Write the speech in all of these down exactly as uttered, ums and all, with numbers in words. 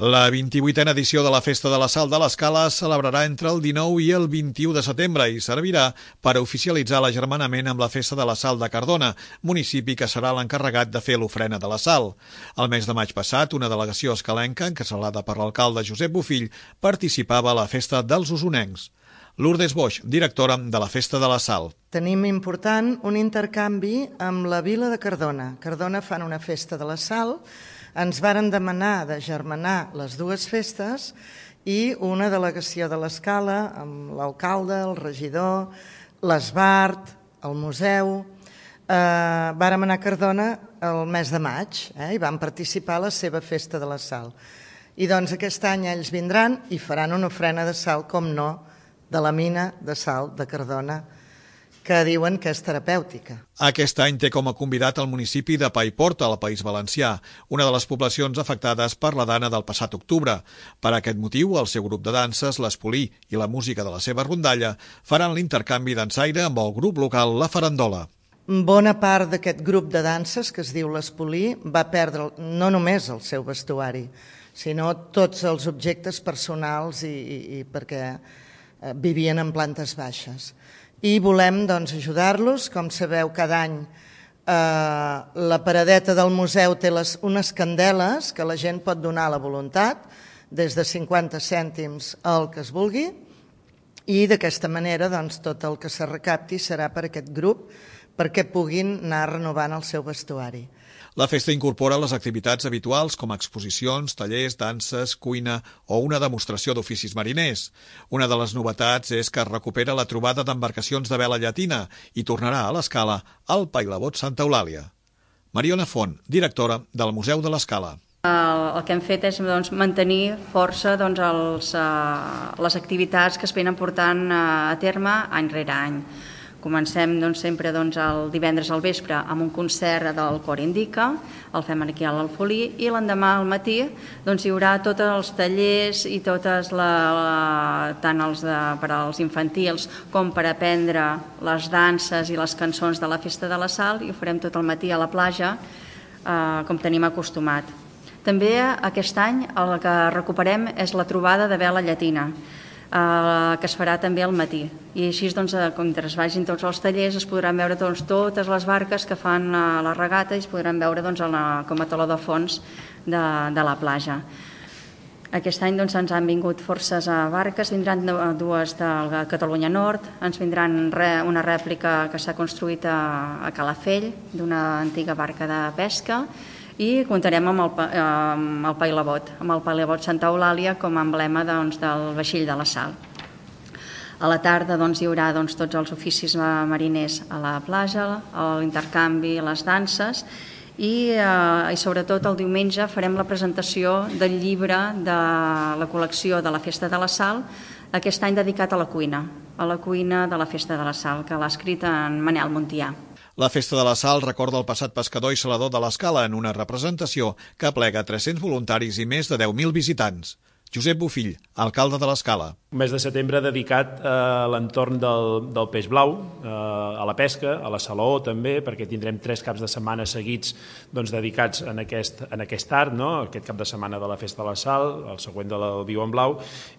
La vint-i-vuitena edició de la Festa de la Sal de l'Escala es celebrarà entre el dinou i el vint-i-u de setembre i servirà per oficialitzar l'agermanament amb la Festa de la Sal de Cardona, municipi que serà l'encarregat de fer l'ofrena de la sal. El mes de maig passat, una delegació escalenca, encapçalada per l'alcalde Josep Bofill, participava a la Festa dels Osonencs. Lourdes Boix, directora de la Festa de la Sal. Tenim important un intercanvi amb la vila de Cardona. Cardona fan una Festa de la Sal. Ens varen demanar d'agermanar les dues festes i una delegació de l'Escala amb l'alcalde, el regidor, l'Esbart, el museu. Eh, vàrem anar a Cardona el mes de maig eh, i vam participar a la seva Festa de la Sal. I doncs aquest any ells vindran i faran una ofrena de sal, com no, de la mina de sal de Cardona, que diuen que és terapèutica. Aquest any té com a convidat el municipi de Paiporta, al País Valencià, una de les poblacions afectades per la dana del passat octubre. Per aquest motiu, el seu grup de danses, l'Espolí i la música de la seva rondalla, faran l'intercanvi dansaire amb el grup local La Farandola. Bona part d'aquest grup de danses, que es diu l'Espolí, va perdre no només el seu vestuari, sinó tots els objectes personals i, i, i perquè eh, vivien en plantes baixes. I volem doncs, ajudar-los. Com sabeu, cada any eh, la paradeta del museu té les, unes candeles que la gent pot donar a la voluntat, des de cinquanta cèntims al que es vulgui, i d'aquesta manera doncs, tot el que se recapti serà per aquest grup perquè puguin anar renovant el seu vestuari. La festa incorpora les activitats habituals com exposicions, tallers, danses, cuina o una demostració d'oficis mariners. Una de les novetats és que es recupera la trobada d'embarcacions de vela llatina i tornarà a l'Escala al Pailabot Santa Eulàlia. Mariona Font, directora del Museu de l'Escala. El, el que hem fet és doncs, mantenir força doncs, els, uh, les activitats que es venen portant uh, a terme any rere any. Comencem doncs, sempre doncs, el divendres al vespre amb un concert del Cor Indica, el fem aquí a l'Alfolí, i l'endemà al matí doncs, hi haurà tots els tallers i totes la, la, tant els de, per als infantils com per aprendre les danses i les cançons de la Festa de la Sal, i ho farem tot el matí a la platja, eh, com tenim acostumat. També aquest any el que recuperem és la trobada de vela llatina, Uh, que es farà també al matí. I així, doncs, mentre es vagin tots els tallers, es podran veure doncs, totes les barques que fan uh, la regata i es podran veure doncs, la, com a teló de fons de, de la platja. Aquest any doncs, ens han vingut forces a barques, vindran dues de Catalunya Nord, ens vindran re, una rèplica que s'ha construït a, a Calafell, d'una antiga barca de pesca, i comptarem amb el, amb el Pailabot, amb el Pailabot Santa Eulàlia com a emblema doncs, del vaixell de la sal. A la tarda doncs, hi haurà doncs, tots els oficis mariners a la platja, l'intercanvi, les danses, i, eh, i sobretot el diumenge farem la presentació del llibre de la col·lecció de la Festa de la Sal, aquest any dedicat a la cuina, a la cuina de la Festa de la Sal, que l'ha escrit en Manel Montià. La Festa de la Sal recorda el passat pescador i salador de l'Escala en una representació que aplega tres-cents voluntaris i més de deu mil visitants. Josep Bofill, alcalde de l'Escala. Un mes de setembre dedicat a l'entorn del, del peix blau, a la pesca, a la salaó també, perquè tindrem tres caps de setmana seguits doncs, dedicats en aquest, en aquest art, no? Aquest cap de setmana de la Festa de la Sal, el següent del Viu en Blau,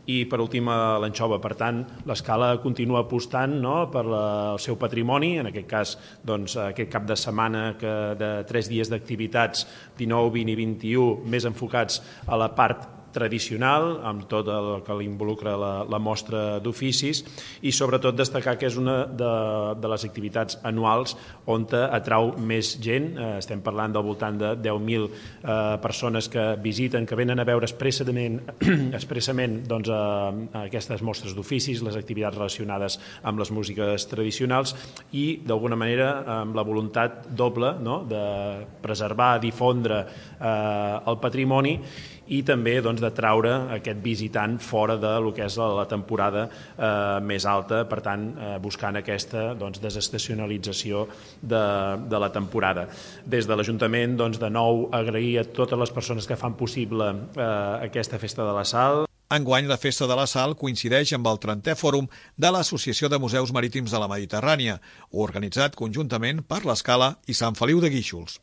i per últim l'anxova. Per tant, l'Escala continua apostant no? per la, el seu patrimoni, en aquest cas doncs, aquest cap de setmana que, de tres dies d'activitats, dinou, vint i vint-i-u, més enfocats a la part tradicional, amb tot el que involucra la, la mostra d'oficis, i sobretot destacar que és una de, de les activitats anuals on atrau més gent. Eh, estem parlant del voltant de deu mil eh, persones que visiten, que venen a veure expressament, expressament doncs, a, a aquestes mostres d'oficis, les activitats relacionades amb les músiques tradicionals i, d'alguna manera, amb la voluntat doble no? de preservar, difondre eh, el patrimoni i també doncs, d'atraure aquest visitant fora de lo que és la temporada eh, més alta, per tant, eh, buscant aquesta doncs, desestacionalització de, de la temporada. Des de l'Ajuntament, doncs, de nou, agrair a totes les persones que fan possible eh, aquesta Festa de la Sal. Enguany, la Festa de la Sal coincideix amb el trentè Fòrum de l'Associació de Museus Marítims de la Mediterrània, organitzat conjuntament per l'Escala i Sant Feliu de Guíxols.